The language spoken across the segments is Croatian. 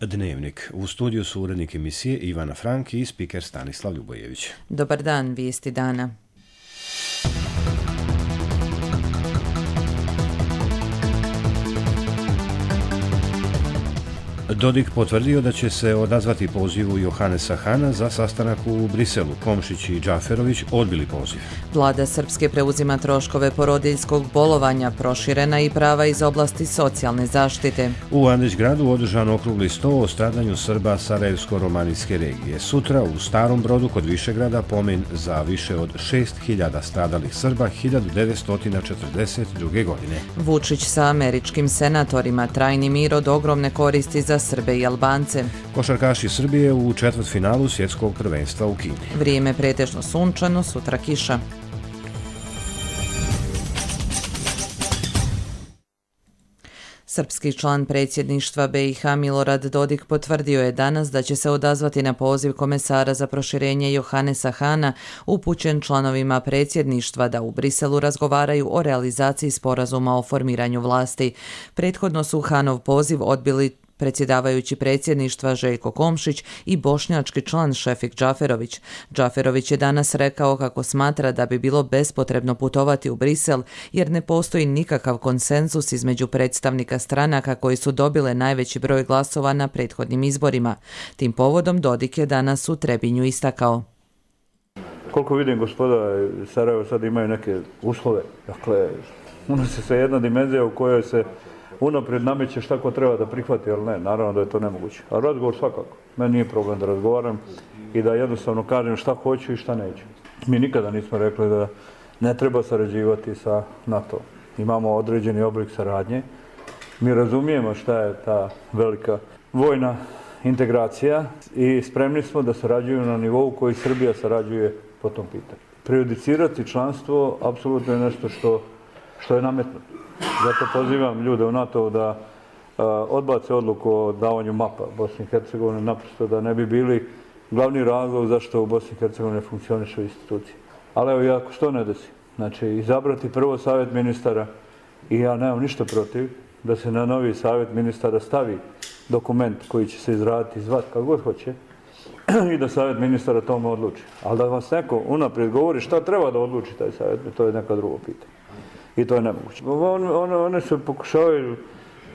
Dnevnik. U studiju su urednik emisije Ivana Frank i spiker Stanislav Ljubojević. Dobar dan, vijesti dana. Dodik potvrdio da će se odazvati pozivu Johanesa Hana za sastanak u Briselu. Komšić i Džaferović odbili poziv. Vlada Srpske preuzima troškove porodiljskog bolovanja, proširena i prava iz oblasti socijalne zaštite. U Andrićgradu održan okrugli sto o stradanju Srba Sarajevsko-romanijske regije. Sutra u Starom Brodu kod Višegrada pomen za više od 6.000 stradalih Srba 1942. godine. Vučić sa američkim senatorima, trajni mir od ogromne koristi za Srbe i Albance. Košarkaši Srbije u četvrtfinalu svjetskog prvenstva u Kini. Vrijeme pretežno sunčano, sutra kiša. Srpski član predsjedništva BiH Milorad Dodik potvrdio je danas da će se odazvati na poziv komesara za proširenje Johanesa Hana upućen članovima predsjedništva da u Briselu razgovaraju o realizaciji sporazuma o formiranju vlasti. Prethodno su Hanov poziv odbili predsjedavajući predsjedništva Željko Komšić i bošnjački član Šefik Džaferović. Džaferović je danas rekao kako smatra da bi bilo bespotrebno putovati u Brisel jer ne postoji nikakav konsenzus između predstavnika stranaka koji su dobile najveći broj glasova na prethodnim izborima. Tim povodom Dodik je danas u Trebinju istakao. Koliko vidim, gospoda Sarajevo sad imaju neke uslove. Dakle, unosi se jedna dimenzija u kojoj se unaprijed nameće šta ko treba da prihvati, ali ne, naravno da je to nemoguće. A razgovor svakako. Meni nije problem da razgovaram i da jednostavno kažem šta hoću i šta neću. Mi nikada nismo rekli da ne treba sarađivati sa NATO. Imamo određeni oblik saradnje. Mi razumijemo šta je ta velika vojna integracija i spremni smo da sarađuju na nivou koji Srbija sarađuje po tom pitanju. Prejudicirati članstvo apsolutno je nešto što je nametnuto. Zato pozivam ljude u NATO da odbace odluku o davanju mapa Bosne i Hercegovine, naprosto da ne bi bili glavni razlog zašto u Bosni i Hercegovini funkcionišu institucije. Ali evo, ako što ne desi, znači izabrati prvo savjet ministara i ja nemam ništa protiv da se na novi savjet ministara stavi dokument koji će se izraditi, zvati kako god hoće i da savjet ministara tome odluči. Ali da vas neko unaprijed govori šta treba da odluči taj savjet, to je neka drugo pitanje. I to je nemoguće. One se pokušavaju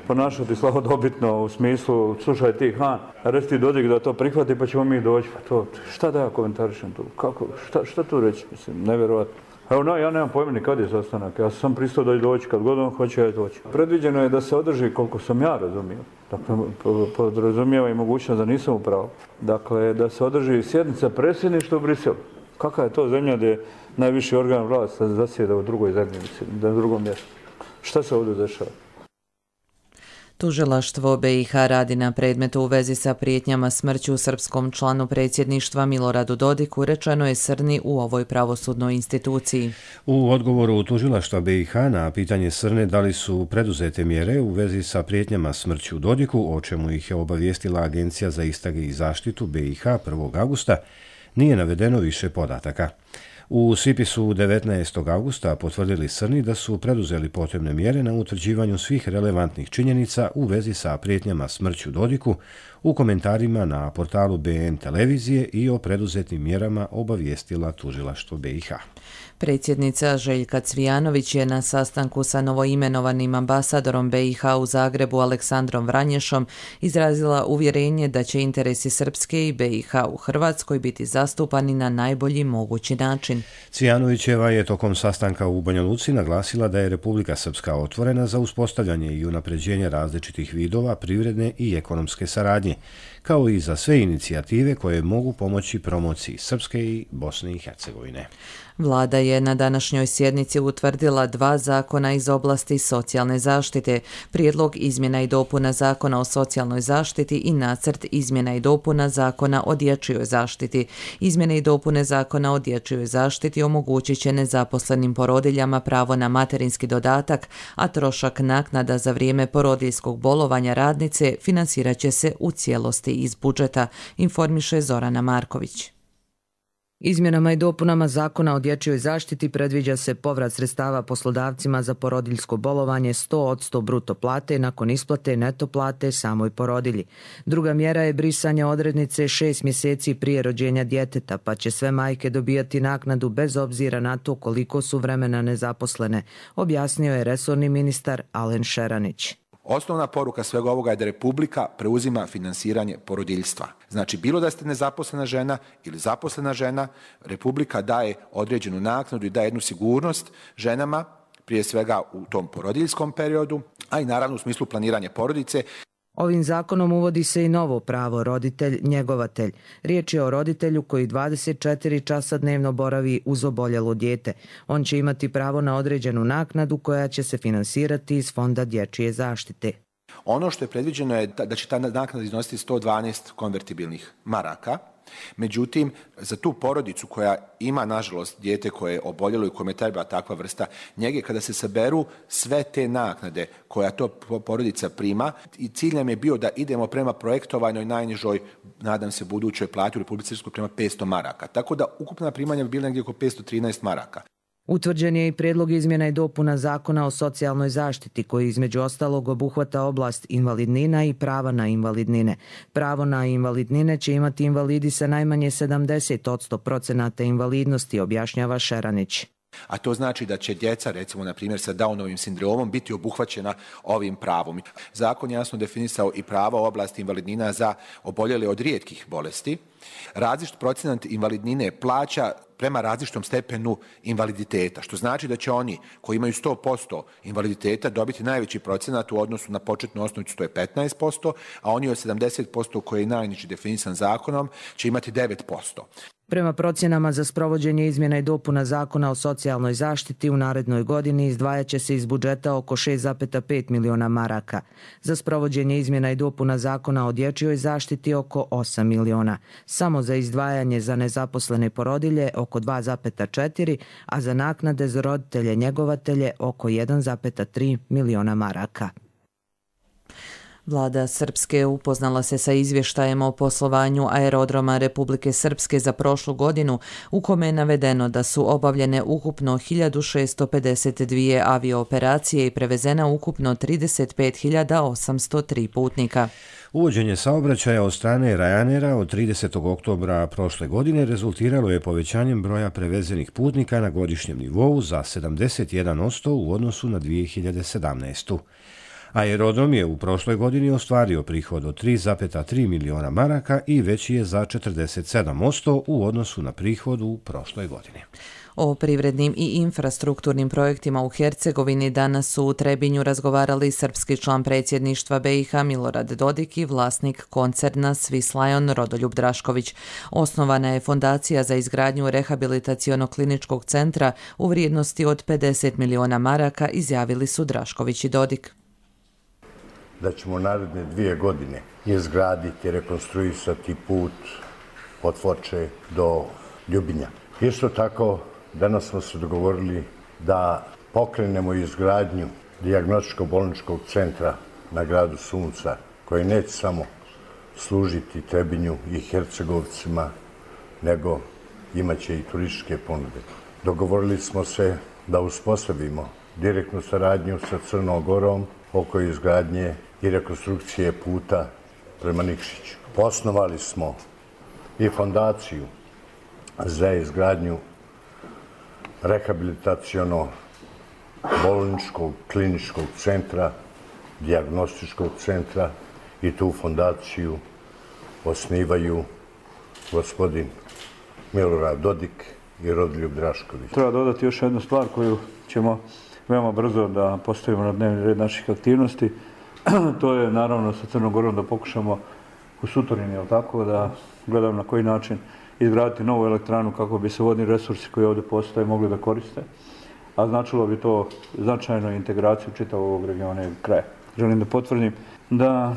ponašati slavodobitno u smislu, slušaj ti Han, reci ti Dodik da to prihvati pa ćemo mi doći. Pa to, šta da ja komentarišem tu? Kako, šta tu reći? Mislim, nevjerojatno. Evo, ja nemam pojma ni kad je sastanak. Ja sam pristao da doći, kad god on hoće, ja doći. Predviđeno je da se održi, koliko sam ja razumio. Dakle, podrazumijeva i mogućnost da nisam u pravu. Dakle, da se održi sjednica predsjedništva u Briselu. Kakva je to zemlja gdje najviši organ vlasti zasjeda u drugoj zemlji, na drugom mjestu? Šta se ovdje dešava? Tužilaštvo BiH radi na predmetu u vezi sa prijetnjama smrću srpskom članu predsjedništva Miloradu Dodiku, rečeno je Srni u ovoj pravosudnoj instituciji. U odgovoru tužilaštva BiH na pitanje Srne da li su preduzete mjere u vezi sa prijetnjama smrću Dodiku, o čemu ih je obavijestila Agencija za istrage i zaštitu BiH 1. augusta, nije navedeno više podataka. U SIPIS-u 19. augusta potvrdili Srni da su preduzeli potrebne mjere na utvrđivanju svih relevantnih činjenica u vezi sa prijetnjama smrću Dodiku u komentarima na portalu BN televizije i o preduzetim mjerama obavijestila tužilaštvo BiH. Predsjednica Željka Cvijanović je na sastanku sa novoimenovanim ambasadorom BiH u Zagrebu Aleksandrom Vranješom izrazila uvjerenje da će interesi Srpske i BiH u Hrvatskoj biti zastupani na najbolji mogući način. Cvijanovićeva je tokom sastanka u Banja Luci naglasila da je Republika Srpska otvorena za uspostavljanje i unapređenje različitih vidova privredne i ekonomske saradnje, kao i za sve inicijative koje mogu pomoći promociji Srpske i Bosne i Hercegovine. Vlada je na današnjoj sjednici utvrdila 2 zakona iz oblasti socijalne zaštite, prijedlog izmjena i dopuna Zakona o socijalnoj zaštiti i nacrt izmjena i dopuna Zakona o dječjoj zaštiti. Izmjene i dopune Zakona o dječjoj zaštiti omogućit će nezaposlenim porodiljama pravo na materinski dodatak, a trošak naknada za vrijeme porodiljskog bolovanja radnice financirat će se u cijelosti iz budžeta, informiše Zorana Marković. Izmjenama i dopunama Zakona o dječjoj zaštiti predviđa se povrat sredstava poslodavcima za porodiljsko bolovanje 100% bruto plate nakon isplate neto plate samoj porodilji. Druga mjera je brisanje odrednice 6 mjeseci prije rođenja djeteta, pa će sve majke dobijati naknadu bez obzira na to koliko su vremena nezaposlene, objasnio je resorni ministar Alen Šeranić. Osnovna poruka svega ovoga je da Republika preuzima finansiranje porodiljstva. Znači, bilo da ste nezaposlena žena ili zaposlena žena, Republika daje određenu naknadu i daje jednu sigurnost ženama, prije svega u tom porodiljskom periodu, a i naravno u smislu planiranja porodice. Ovim zakonom uvodi se i novo pravo roditelj-njegovatelj. Riječ je o roditelju koji 24 časa dnevno boravi uz oboljelo dijete. On će imati pravo na određenu naknadu koja će se finansirati iz Fonda dječje zaštite. Ono što je predviđeno je da će ta naknada iznositi 112 konvertibilnih maraka. Međutim, za tu porodicu koja ima, nažalost, dijete koje je oboljelo i kome treba takva vrsta njege, kada se saberu sve te naknade koja to porodica prima, i cilj nam je bio da idemo prema projektovanoj najnižoj, nadam se, budućoj plati u Republici Srpskoj prema 500 maraka. Tako da ukupna primanja bi bila negdje oko 513 maraka. Utvrđen je i prijedlog izmjena i dopuna Zakona o socijalnoj zaštiti koji između ostalog obuhvata oblast invalidnina i prava na invalidnine. Pravo na invalidnine će imati invalidi sa najmanje 70% invalidnosti, objašnjava Šeranić. A to znači da će djeca, recimo na primjer sa Downovim sindromom, biti obuhvaćena ovim pravom. Zakon je jasno definisao i prava u oblasti invalidnina za oboljele od rijetkih bolesti. Različit procenat invalidnine plaća prema različitom stepenu invaliditeta, što znači da će oni koji imaju 100% invaliditeta dobiti najveći procenat u odnosu na početnu osnovicu, to je 15%, a oni od 70% koji je najniži definisan zakonom će imati 9%. Prema procjenama za sprovođenje izmjena i dopuna Zakona o socijalnoj zaštiti u narednoj godini izdvajat će se iz budžeta oko 6,5 miliona maraka. Za sprovođenje izmjena i dopuna Zakona o dječjoj zaštiti oko 8 miliona. Samo za izdvajanje za nezaposlene porodilje oko 2,4, a za naknade za roditelje njegovatelje oko 1,3 miliona maraka. Vlada Srpske upoznala se sa izvještajem o poslovanju aerodroma Republike Srpske za prošlu godinu, u kome je navedeno da su obavljene ukupno 1652 aviooperacije i prevezena ukupno 35.803 putnika. Uvođenje saobraćaja od strane Ryanaira od 30. oktobra prošle godine rezultiralo je povećanjem broja prevezenih putnika na godišnjem nivou za 71% u odnosu na 2017. Aerodrom je u prošloj godini ostvario prihod od 3,3 miliona maraka i veći je za 47% u odnosu na prihod u prošloj godini. O privrednim i infrastrukturnim projektima u Hercegovini danas su u Trebinju razgovarali srpski član predsjedništva BiH Milorad Dodik i vlasnik koncerna Swiss Lion Rodoljub Drašković. Osnovana je fondacija za izgradnju rehabilitaciono-kliničkog centra u vrijednosti od 50 miliona maraka, izjavili su Drašković i Dodik. Da ćemo naredne 2 godine izgraditi, rekonstruisati put od Foče do Ljubinja. Isto tako, danas smo se dogovorili da pokrenemo izgradnju dijagnostičko-bolničkog centra na gradu Sunca, koji neće samo služiti Trebinju i Hercegovcima, nego imaće i turističke ponude. Dogovorili smo se da uspostavimo direktnu saradnju sa Crnom Gorom oko izgradnje i rekonstrukcije puta prema Nikšiću. Osnovali smo i fondaciju za izgradnju rehabilitaciono-bolničkog kliničkog centra, dijagnostičkog centra, i tu fondaciju osnivaju gospodin Milorad Dodik i Rodoljub Drašković. Treba dodati još jednu stvar koju ćemo veoma brzo da postavimo na dnevni red naših aktivnosti. To je naravno sa Crnom Gorom da pokušamo u Sutorini, jel tako, da gledamo na koji način izgraditi novu elektranu kako bi se vodni resursi koji ovdje postoje mogli da koriste, a značilo bi to značajno integraciju čitavog ovog regiona i kraja. Želim da potvrdim da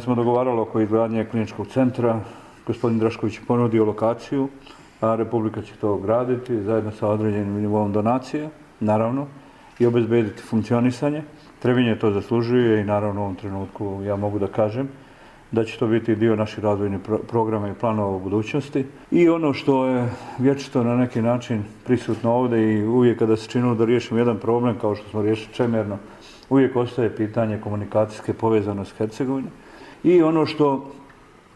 smo dogovarali oko izgradnje kliničkog centra. Gospodin Drašković je ponudio lokaciju, a Republika će to graditi zajedno sa određenim nivom donacije, naravno, i obezbediti funkcionisanje. Trebinje to zaslužuje i naravno u ovom trenutku ja mogu da kažem da će to biti dio naših razvojnih programa i planova u budućnosti. I ono što je vječito na neki način prisutno ovdje i uvijek kada se činilo da riješimo jedan problem kao što smo riješili čemerno, uvijek ostaje pitanje komunikacijske povezanosti Hercegovine. I ono što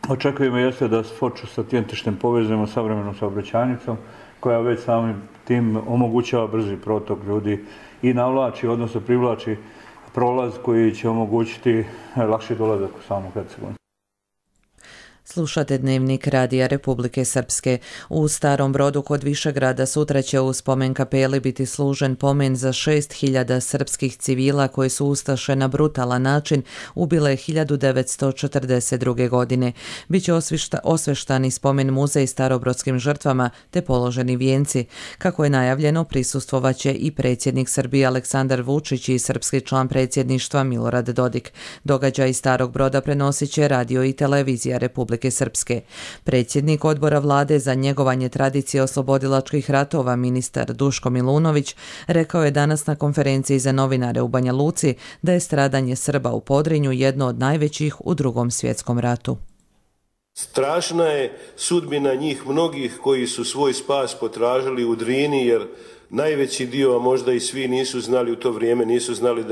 očekujemo jeste da Foču sa Tjentištem povezujemo savremenom saobraćajnicom koja već samim tim omogućava brzi protok ljudi i navlači, odnosno privlači prolaz koji će omogućiti lakši dolazak u samu Hercegovinu. Slušate Dnevnik Radija Republike Srpske. U Starom Brodu kod Višegrada sutra će u spomen kapeli biti služen pomen za 6.000 srpskih civila koji su ustaše na brutalan način ubile 1942. godine. Biće osveštani spomen muzej starobrodskim žrtvama te položeni vijenci. Kako je najavljeno, prisustvovaće i predsjednik Srbije Aleksandar Vučić i srpski član predsjedništva Milorad Dodik. Događaj iz Starog Broda prenosit će radio i televizija Republike Srpske. Predsjednik odbora vlade za njegovanje tradicije oslobodilačkih ratova, ministar Duško Milunović, rekao je danas na konferenciji za novinare u Banja Luci da je stradanje Srba u Podrinju jedno od najvećih u Drugom svjetskom ratu. Strašna je sudbina njih mnogih koji su svoj spas potražili u Drini, jer najveći dio, a možda i svi nisu znali u to vrijeme, nisu znali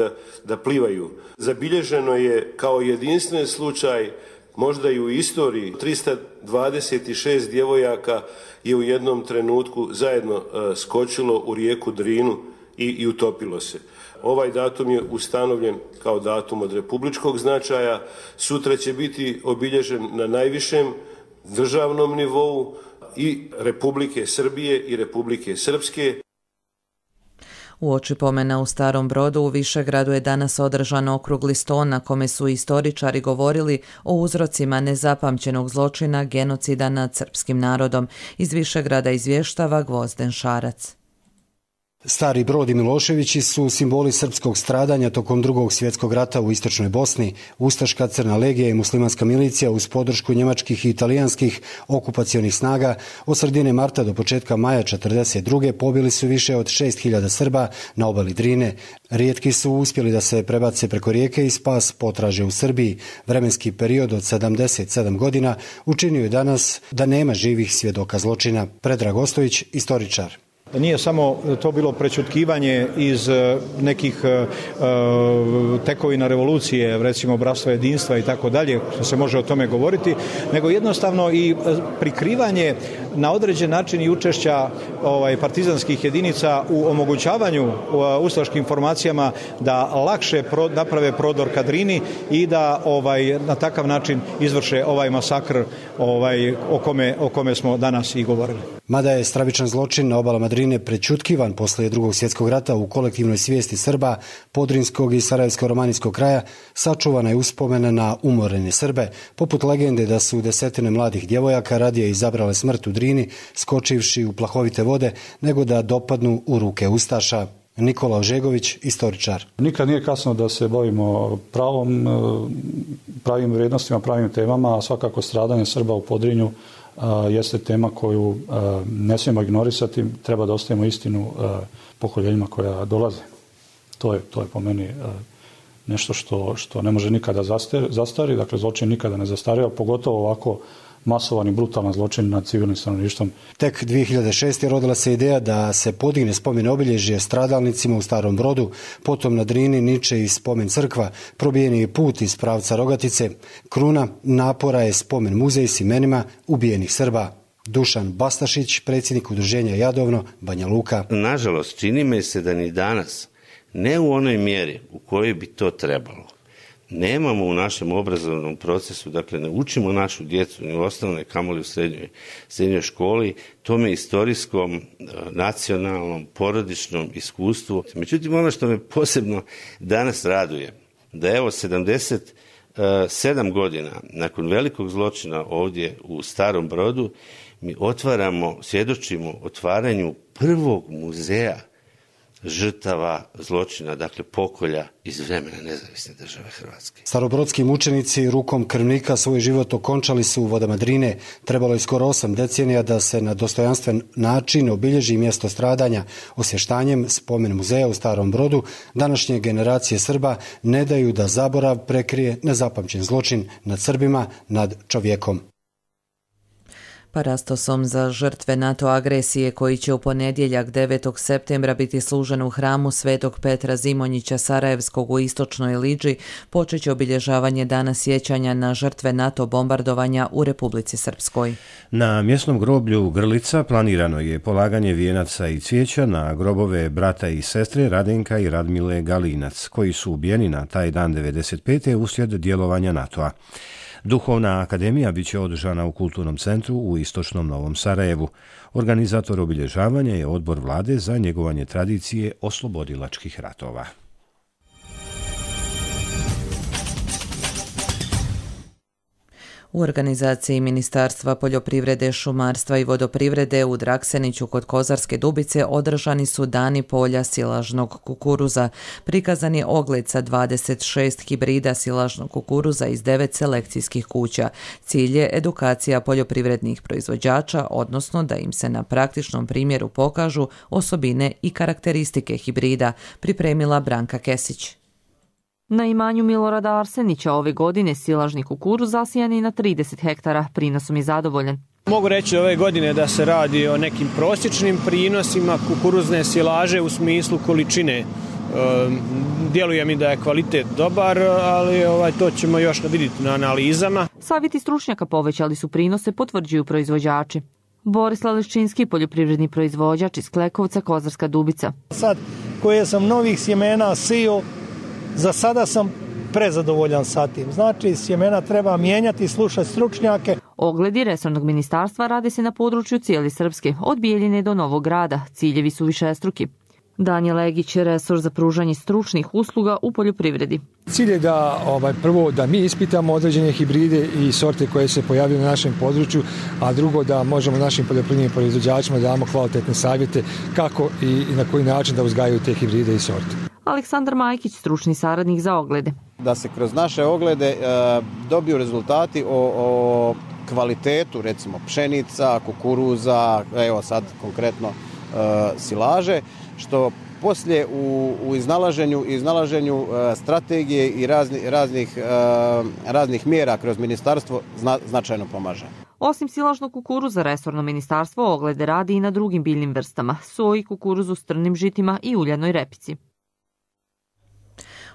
da plivaju. Zabilježeno je kao jedinstven slučaj, možda i u istoriji, 326 djevojaka je u jednom trenutku zajedno skočilo u rijeku Drinu i utopilo se. Ovaj datum je ustanovljen kao datum od republičkog značaja. Sutra će biti obilježen na najvišem državnom nivou i Republike Srbije i Republike Srpske. Uoči pomena u Starom Brodu u Višegradu je danas održan okrugli sto na kome su istoričari govorili o uzrocima nezapamćenog zločina genocida nad srpskim narodom. Iz Višegrada izvještava Gvozden Šarac. Stari Brod i Miloševići su simboli srpskog stradanja tokom Drugog svjetskog rata u istočnoj Bosni. Ustaška Crna legija i muslimanska milicija uz podršku njemačkih i italijanskih okupacionih snaga od sredine marta do početka maja 1942. pobili su više od 6.000 Srba na obali Drine. Rijetki su uspjeli da se prebace preko rijeke i spas potraže u Srbiji. Vremenski period od 77 godina učinio je danas da nema živih svjedoka zločina. Predrag Ostojić, istoričar. Nije samo to bilo prečutkivanje iz nekih tekovina revolucije, recimo bratstva jedinstva i tako dalje, što se može o tome govoriti, nego jednostavno i prikrivanje na određen način i učešća partizanskih jedinica u omogućavanju ustaškim formacijama da lakše naprave prodor ka Drini i da na takav način izvrše ovaj masakr o kome smo danas i govorili. Mada je stravičan zločin na obalama Drine prečutkivan poslije Drugog svjetskog rata u kolektivnoj svijesti Srba, Podrinskog i Sarajevsko-romanijskog kraja, sačuvana je uspomena na umorene Srbe, poput legende da su desetine mladih djevojaka radije izabrale smrt u Drini, skočivši u plahovite vode, nego da dopadnu u ruke ustaša. Nikola Ožegović, istoričar. Nikad nije kasno da se bavimo pravim vrijednostima, pravim temama, a svakako stradanje Srba u Podrinju jeste tema koju ne smijemo ignorisati, treba da ostavimo istinu pokoljenjima koja dolaze. To je po meni nešto što ne može nikada zastari, dakle zločin nikada ne zastarija, pogotovo ovako masovan i brutalan zločin nad civilnim stanovništvom. Tek 2006. rodila se ideja da se podigne spomen obilježje stradalnicima u Starom Brodu, potom na Drini niče i spomen crkva, probijen je put iz pravca Rogatice. Kruna napora je spomen muzej s imenima ubijenih Srba. Dušan Bastašić, predsjednik udruženja Jadovno, Banja Luka. Nažalost, čini mi se da ni danas, ne u onoj mjeri u kojoj bi to trebalo, nemamo u našem obrazovnom procesu, dakle ne učimo našu djecu ni u osnovnoj, kamoli u srednjoj školi, tome istorijskom, nacionalnom, porodičnom iskustvu. Međutim, ono što me posebno danas raduje, da evo 77 godina nakon velikog zločina ovdje u Starom Brodu, mi svjedočimo otvaranju prvog muzeja žrtava zločina, dakle pokolja iz vremena nezavisne države Hrvatske. Starobrodski mučenici rukom krvnika svoj život okončali su u vodama Drine. Trebalo je skoro 8 decenija da se na dostojanstven način obilježi mjesto stradanja. Osvještanjem spomen muzeja u Starom Brodu današnje generacije Srba ne daju da zaborav prekrije nezapamćen zločin nad Srbima, nad čovjekom. Parastosom za žrtve NATO agresije koji će u ponedjeljak 9. septembra biti služen u hramu Svetog Petra Zimonjića Sarajevskog u istočnoj Liđi počet će obilježavanje dana sjećanja na žrtve NATO bombardovanja u Republici Srpskoj. Na mjesnom groblju Grlica planirano je polaganje vijenaca i cvijeća na grobove brata i sestre Radenka i Radmile Galinac, koji su ubijeni na taj dan 1995. uslijed djelovanja NATO-a. Duhovna akademija bit će održana u Kulturnom centru u istočnom Novom Sarajevu. Organizator obilježavanja je Odbor vlade za njegovanje tradicije oslobodilačkih ratova. U organizaciji Ministarstva poljoprivrede, šumarstva i vodoprivrede u Drakseniću kod Kozarske Dubice održani su dani polja silažnog kukuruza. Prikazan je ogled sa 26 hibrida silažnog kukuruza iz 9 selekcijskih kuća. Cilj je edukacija poljoprivrednih proizvođača, odnosno da im se na praktičnom primjeru pokažu osobine i karakteristike hibrida, pripremila Branka Kesić. Na imanju Milorada Arsenića ove godine silažni kukuruz zasijan je na 30 hektara, prinosom je zadovoljan. Mogu reći ove godine da se radi o nekim prosječnim prinosima kukuruzne silaže u smislu količine. Djeluje mi da je kvalitet dobar, ali to ćemo još vidjeti na analizama. Savjeti stručnjaka povećali su prinose, potvrđuju proizvođači. Borislav Leščinski, poljoprivredni proizvođač iz Klekovca, Kozarska Dubica. Sad koje sam novih sjemena sio, za sada sam prezadovoljan sa tim. Znači, sjemena treba mijenjati, slušati stručnjake. Ogledi resornog ministarstva rade se na području cijele Srpske, od Bijeljine do Novog Grada. Ciljevi su višestruki. Danijel Egić, resor za pružanje stručnih usluga u poljoprivredi. Cilj je da prvo da mi ispitamo određene hibride i sorte koje se pojavljaju na našem području, a drugo da možemo našim poljoprivrednim proizvođačima da damo kvalitetne savjete kako i na koji način da uzgajaju te hibride i sorte. Aleksandar Majkić, stručni saradnik za oglede. Da se kroz naše oglede dobiju rezultati o kvalitetu, recimo pšenica, kukuruza, evo sad konkretno silaže, što poslije u iznalaženju strategije i raznih mjera kroz ministarstvo značajno pomaže. Osim silažnog kukuruza, resorno ministarstvo oglede radi i na drugim biljnim vrstama, soji, kukuruzu, strnim žitima i uljanoj repici.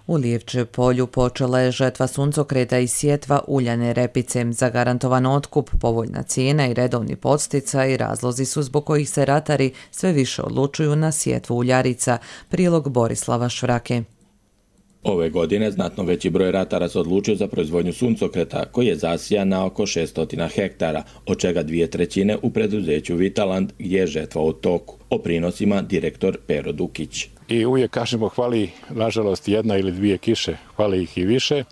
U Lijevče polju počela je žetva suncokreta i sjetva uljane repice. Zagarantovan otkup, povoljna cijena i redovni podsticaj razlozi su zbog kojih se ratari sve više odlučuju na sjetvu uljarica. Prilog Borislava Švrake. Ove godine znatno veći broj ratara se odlučio za proizvodnju suncokreta, koji je zasijan na oko 600 hektara, od čega 2/3 u preduzeću Vitaland, gdje je žetva u toku. O prinosima direktor Pero Dukić. I uvijek kažemo hvali, nažalost, 1 ili 2 kiše, hvali ih i više,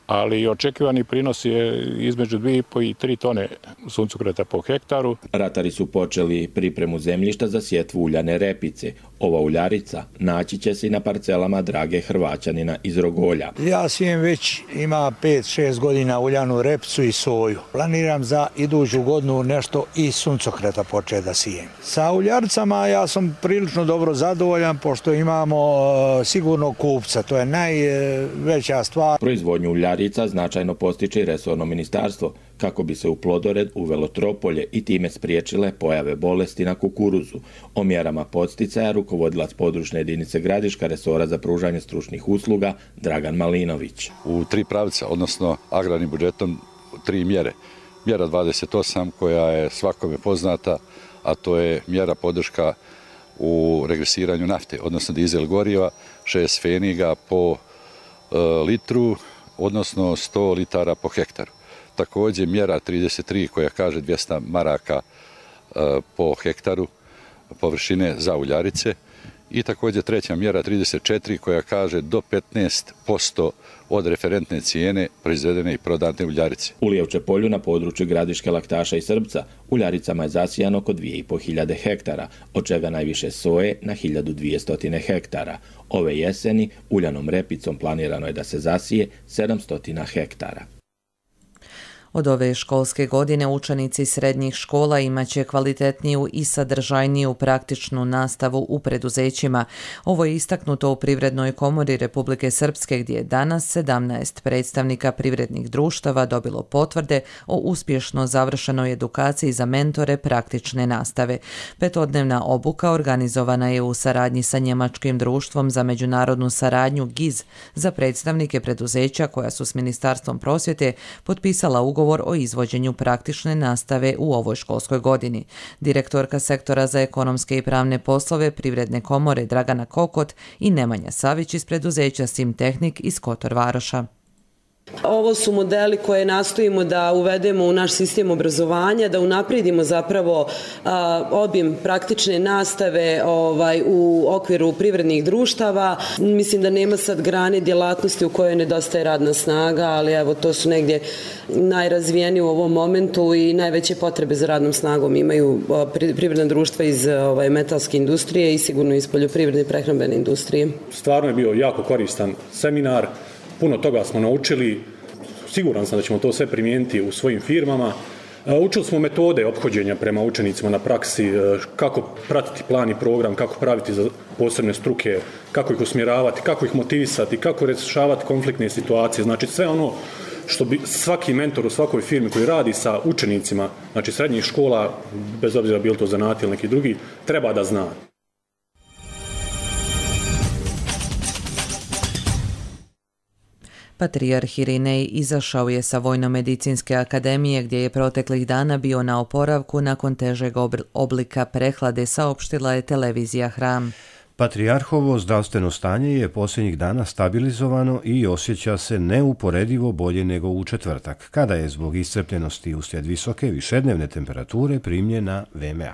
ali očekivani prinos je između 2,5 i 3 tone suncokreta po hektaru. Ratari su počeli pripremu zemljišta za sjetvu uljane repice. Ova uljarica naći će se i na parcelama Drage Hrvaćanina iz Rogolja. Ja sijem već ima 5-6 godina uljanu repicu i soju. Planiram za iduću godinu nešto i suncokreta početi da sijem. Sa uljaricama ja sam prilično dobro zadovoljan pošto imamo sigurno kupca, to je najveća stvar. Proizvodnju uljarica značajno postiče i resorno ministarstvo kako bi se u plodored uvelo tropolje i time spriječile pojave bolesti na kukuruzu. O mjerama podsticaja rukovodilac područne jedinice Gradiška resora za pružanje stručnih usluga Dragan Malinović. U 3 pravca, odnosno agrarnim budžetom 3 mjere. Mjera 28 koja je svakome poznata, a to je mjera podrška u regresiranju nafte, odnosno dizel goriva, 6 pfeniga po litru, odnosno 100 litara po hektaru. Također mjera 33 koja kaže 200 maraka po hektaru površine za uljarice I također treća mjera 34 koja kaže do 15% od referentne cijene proizvedene i prodane uljarice. U Lijevče polju na području Gradiške, Laktaša i Srbca uljaricama je zasijano oko 2500 hektara, od čega najviše soje na 1200 hektara. Ove jeseni uljanom repicom planirano je da se zasije 700 hektara. Od ove školske godine učenici srednjih škola imaće kvalitetniju i sadržajniju praktičnu nastavu u preduzećima. Ovo je istaknuto u Privrednoj komori Republike Srpske, gdje je danas 17 predstavnika privrednih društava dobilo potvrde o uspješno završenoj edukaciji za mentore praktične nastave. Petodnevna obuka organizovana je u saradnji sa Njemačkim društvom za međunarodnu saradnju GIZ za predstavnike preduzeća koja su s Ministarstvom prosvjete potpisala ugovor o izvođenju praktične nastave u ovoj školskoj godini. Direktorka sektora za ekonomske i pravne poslove Privredne komore Dragana Kokot i Nemanja Savić iz preduzeća Simtehnik iz Kotor Varoša. Ovo su modeli koje nastojimo da uvedemo u naš sistem obrazovanja, da unaprijedimo zapravo obim praktične nastave u okviru privrednih društava. Mislim da nema sad grane djelatnosti u kojoj nedostaje radna snaga, ali evo to su negdje najrazvijeniji u ovom momentu i najveće potrebe za radnom snagom imaju privredna društva iz metalske industrije i sigurno iz poljoprivredne i prehrambene industrije. Stvarno je bio jako koristan seminar. Puno toga smo naučili, siguran sam da ćemo to sve primijeniti u svojim firmama. Učili smo metode ophođenja prema učenicima na praksi, kako pratiti plan i program, kako praviti za posebne struke, kako ih usmjeravati, kako ih motivisati, kako rješavati konfliktne situacije. Znači sve ono što bi svaki mentor u svakoj firmi koji radi sa učenicima, znači srednjih škola, bez obzira bilo to zanati ili neki drugi, treba da zna. Patrijarh Irinej izašao je sa Vojno-medicinske akademije gdje je proteklih dana bio na oporavku nakon težeg oblika prehlade, saopštila je televizija Hram. Patrijarhovo zdravstveno stanje je posljednjih dana stabilizovano i osjeća se neuporedivo bolje nego u četvrtak, kada je zbog iscrpljenosti uslijed visoke višednevne temperature primljen na VMA.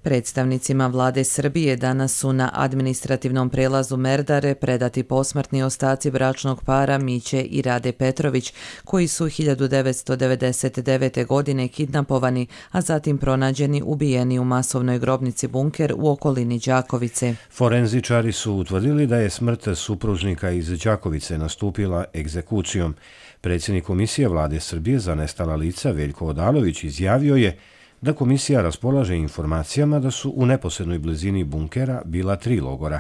Predstavnicima vlade Srbije danas su na administrativnom prelazu Merdare predati posmrtni ostaci bračnog para Miće i Rade Petrović, koji su 1999. godine kidnapovani, a zatim pronađeni ubijeni u masovnoj grobnici Bunker u okolini Đakovice. Forenzičari su utvrdili da je smrt supružnika iz Đakovice nastupila egzekucijom. Predsjednik Komisije vlade Srbije za nestala lica Veljko Odalović izjavio je da komisija raspolaže informacijama da su u neposrednoj blizini bunkera bila 3 logora.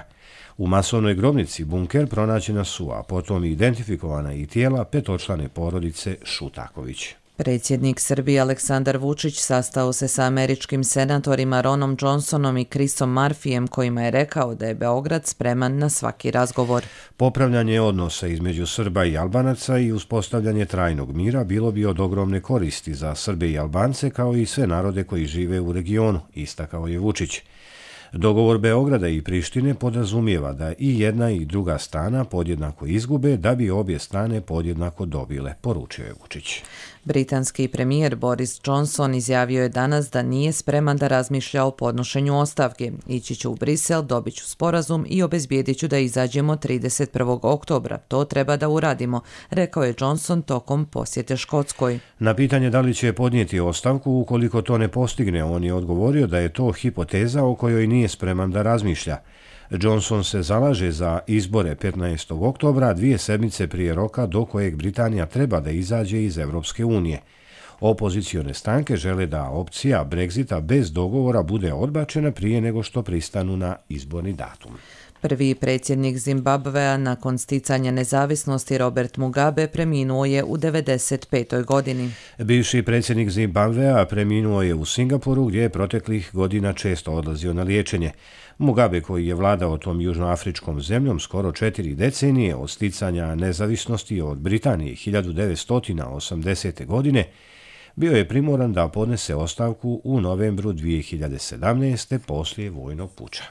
U masovnoj grobnici Bunker pronađena su, a potom identifikovana i tijela petočlane porodice Šutaković. Predsjednik Srbije Aleksandar Vučić sastao se sa američkim senatorima Ronom Johnsonom i Chrisom Murphyjem, kojima je rekao da je Beograd spreman na svaki razgovor. Popravljanje odnosa između Srba i Albanaca i uspostavljanje trajnog mira bilo bi od ogromne koristi za Srbe i Albance kao i sve narode koji žive u regionu, istakao je Vučić. Dogovor Beograda i Prištine podrazumijeva da i jedna i druga strana podjednako izgube da bi obje strane podjednako dobile, poručio je Vučić. Britanski premijer Boris Johnson izjavio je danas da nije spreman da razmišlja o podnošenju ostavke. Ići ću u Brisel, dobit ću sporazum i obezbijedit ću da izađemo 31. oktobra. To treba da uradimo, rekao je Johnson tokom posjete Škotskoj. Na pitanje da li će podnijeti ostavku ukoliko to ne postigne, on je odgovorio da je to hipoteza o kojoj nije spreman da razmišlja. Johnson se zalaže za izbore 15. oktobra, 2 sedmice prije roka do kojeg Britanija treba da izađe iz Evropske unije. Opozicione stranke žele da opcija Brexita bez dogovora bude odbačena prije nego što pristanu na izborni datum. Prvi predsjednik Zimbabvea nakon sticanja nezavisnosti Robert Mugabe preminuo je u 95. godini. Bivši predsjednik Zimbabvea preminuo je u Singapuru gdje je proteklih godina često odlazio na liječenje. Mugabe, koji je vladao tom južnoafričkom zemljom skoro 4 decenije od sticanja nezavisnosti od Britanije 1980. godine, bio je primoran da podnese ostavku u novembru 2017. poslije vojnog puča.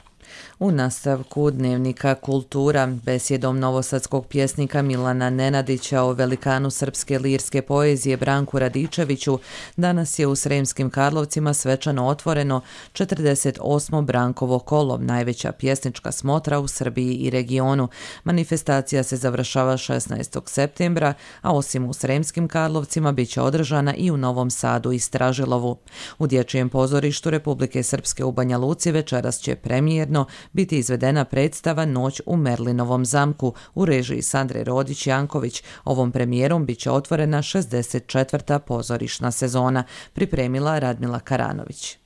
U nastavku dnevnika Kultura besjedom novosadskog pjesnika Milana Nenadića o velikanu srpske lirske poezije Branku Radičeviću danas je u Sremskim Karlovcima svečano otvoreno 48. Brankovo kolo, najveća pjesnička smotra u Srbiji i regionu. Manifestacija se završava 16. septembra, a osim u Sremskim Karlovcima bit će održana i u Novom Sadu i Stražilovu. U Dječjem pozorištu Republike Srpske u Banja Luci večeras će premijerno biti izvedena predstava Noć u Merlinovom zamku u režiji Sandre Rodić-Janković. Ovom premijerom bit će otvorena 64. pozorišna sezona, pripremila Radmila Karanović.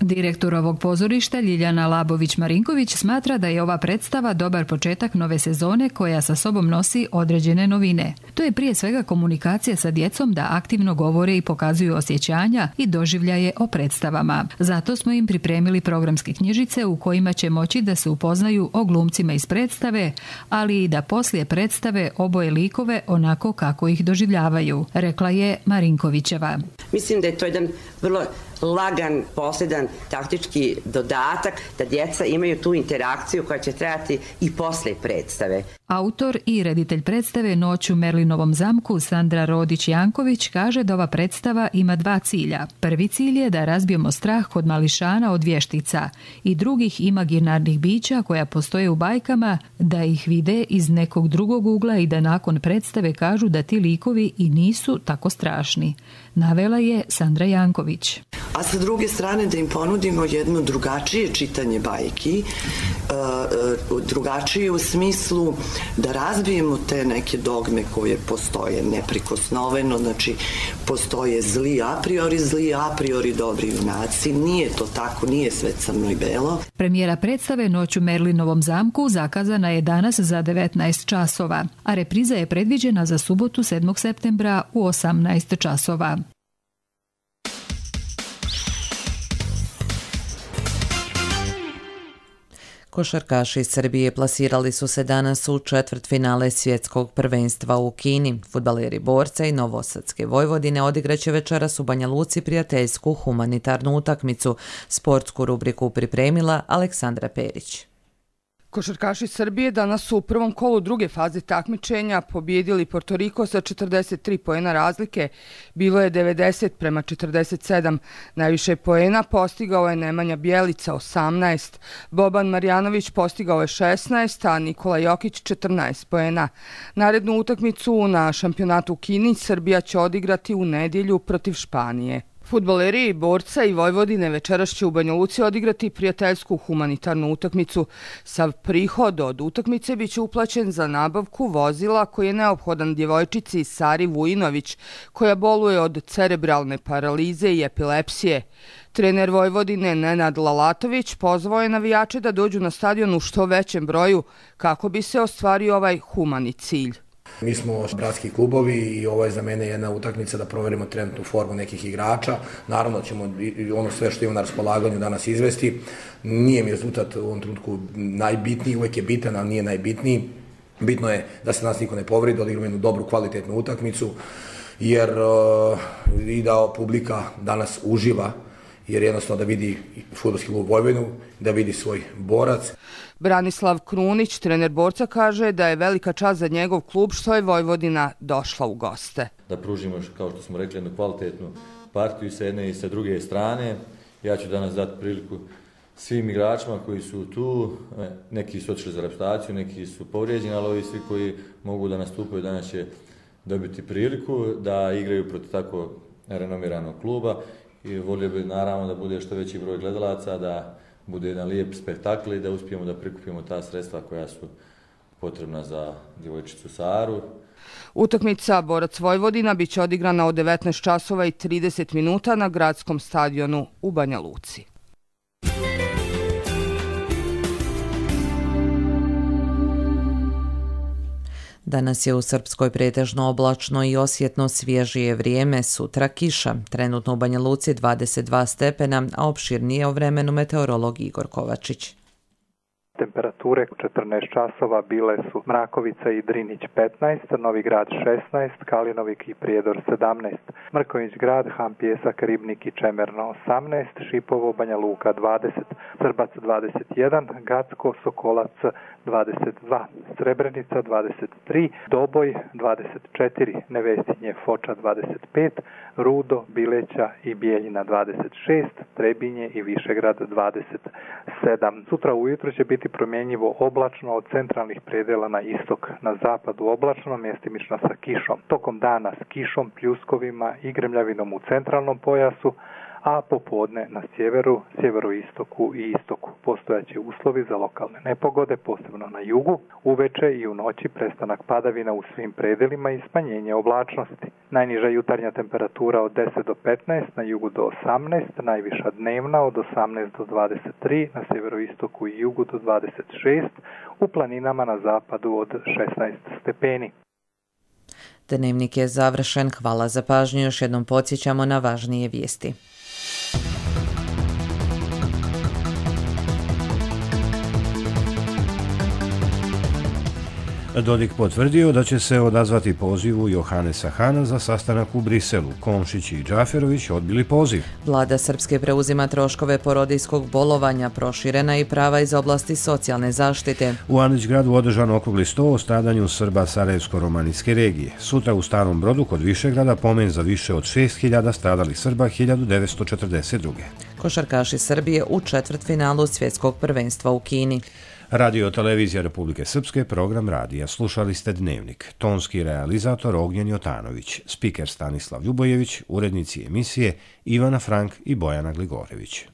Direktor ovog pozorišta Ljiljana Labović-Marinković smatra da je ova predstava dobar početak nove sezone koja sa sobom nosi određene novine. To je prije svega komunikacija sa djecom da aktivno govore i pokazuju osjećanja i doživljaje o predstavama. Zato smo im pripremili programske knjižice u kojima će moći da se upoznaju o glumcima iz predstave, ali i da poslije predstave oboje likove onako kako ih doživljavaju, rekla je Marinkovićeva. Mislim da je to jedan vrlo lagan, posljedan taktički dodatak da djeca imaju tu interakciju koja će trajati i posle predstave. Autor i reditelj predstave Noć u Merlinovom zamku Sandra Rodić-Janković kaže da ova predstava ima dva cilja. Prvi cilj je da razbijemo strah kod mališana od vještica i drugih imaginarnih bića koja postoje u bajkama, da ih vide iz nekog drugog ugla i da nakon predstave kažu da ti likovi i nisu tako strašni, navela je Sandra Janković. A sa druge strane da im ponudimo jedno drugačije čitanje bajki, drugačije u smislu da razbijemo te neke dogme koje postoje neprikosnoveno, znači postoje zli a priori dobri junaci, nije to tako, nije sve crno i belo. Premijera predstave Noć u Merlinovom zamku zakazana je danas za 19 časova, a repriza je predviđena za subotu 7. septembra u 18 časova. Košarkaši Srbije plasirali su se danas u četvrtfinale svjetskog prvenstva u Kini. Fudbaleri Borca i Novosadske Vojvodine odigraće večeras u Banja Luci prijateljsku humanitarnu utakmicu. Sportsku rubriku pripremila Aleksandra Perić. Košarkaši Srbije danas su u prvom kolu druge faze takmičenja pobijedili Porto Riko sa 43 poena razlike. Bilo je 90-47. Najviše poena postigao je Nemanja Bjelica 18, Boban Marjanović postigao je 16, a Nikola Jokić 14 poena. Narednu utakmicu na šampionatu u Kini Srbija će odigrati u nedjelju protiv Španije. Fudbaleri Borca i Vojvodine večeras će u Banja Luci odigrati prijateljsku humanitarnu utakmicu. Sav prihod od utakmice biće uplaćen za nabavku vozila koji je neophodan djevojčici Sari Vujinović, koja boluje od cerebralne paralize i epilepsije. Trener Vojvodine Nenad Lalatović pozvao je navijače da dođu na stadion u što većem broju kako bi se ostvario ovaj humani cilj. Mi smo bratski klubovi i ovo je za mene jedna utakmica da proverimo trenutnu formu nekih igrača. Naravno ćemo ono sve što imamo na raspolaganju danas izvesti. Nije mi rezultat u ovom trenutku najbitniji, uvijek je bitan, ali nije najbitniji. Bitno je da se nas niko ne povredi, da odigramo jednu dobru, kvalitetnu utakmicu, jer i da publika danas uživa, jer jednostavno da vidi fudbalski klub Vojvodinu, da vidi svoj Borac. Branislav Krunić, trener Borca, kaže da je velika čast za njegov klub što je Vojvodina došla u goste. Da pružimo, kao što smo rekli, jednu kvalitetnu partiju sa jedne i sa druge strane. Ja ću danas dati priliku svim igračima koji su tu. Neki su otišli za reprezentaciju, neki su povrijeđeni, ali ovi svi koji mogu da nastupaju danas će dobiti priliku da igraju protiv tako renomiranog kluba. I volio bi naravno da bude što veći broj gledalaca, da bude jedan lijep spektakl i da uspijemo da prikupimo ta sredstva koja su potrebna za djevojčicu Saru. Utakmica Borac Vojvodina biće odigrana od 19 časova i 30 minuta na gradskom stadionu u Banja Luci. Danas je u Srpskoj pretežno oblačno i osjetno svježije vrijeme, sutra kiša. Trenutno u Banja Luci 22 stepena, a opširnije o vremenu meteorolog Igor Kovačić. Temperature 14 časova bile su Mrakovica i Drinić 15, Novi Grad 16, Kalinovik i Prijedor 17, Mrkonjić Grad, Han Pjesak, Ribnik i Čemerno 18, Šipovo, Banja Luka 20, Srbac 21, Gacko, Sokolac 22, Srebrenica 23, Doboj 24, Nevesinje, Foča 25, Rudo, Bileća i Bijeljina 26, Trebinje i Višegrad 27. Sutra ujutro će biti promjenjivo oblačno od centralnih predela na istok, na zapadu oblačno, mjestimično sa kišom. Tokom dana s kišom, pljuskovima i grmljavinom u centralnom pojasu, a popodne na sjeveru, sjeveroistoku i istoku. Postojaće uslovi za lokalne nepogode, posebno na jugu, uveče i u noći prestanak padavina u svim predelima i smanjenje oblačnosti. Najniža jutarnja temperatura od 10 do 15, na jugu do 18, najviša dnevna od 18 do 23, na sjeveroistoku i jugu do 26, u planinama na zapadu od 16 stepeni. Dnevnik je završen. Hvala za pažnju. Još jednom podsjećamo na važnije vijesti. Dodik potvrdio da će se odazvati pozivu Johanesa Hana za sastanak u Briselu. Komšić i Džaferović odbili poziv. Vlada Srpske preuzima troškove porodijskog bolovanja, proširena i prava iz oblasti socijalne zaštite. U Anićgradu održan okrugli sto o stradanju Srba Sarajevsko-romanijske regije. Sutra u Starom Brodu kod Višegrada pomen za više od 6.000 stradalih Srba 1942. Košarkaši Srbije u četvrtfinalu svjetskog prvenstva u Kini. Radio Televizija Republike Srpske, program radija. Slušali ste Dnevnik. Tonski realizator Ognjen Jotanović, spiker Stanislav Ljubojević, urednici emisije Ivana Frank i Bojana Gligorević.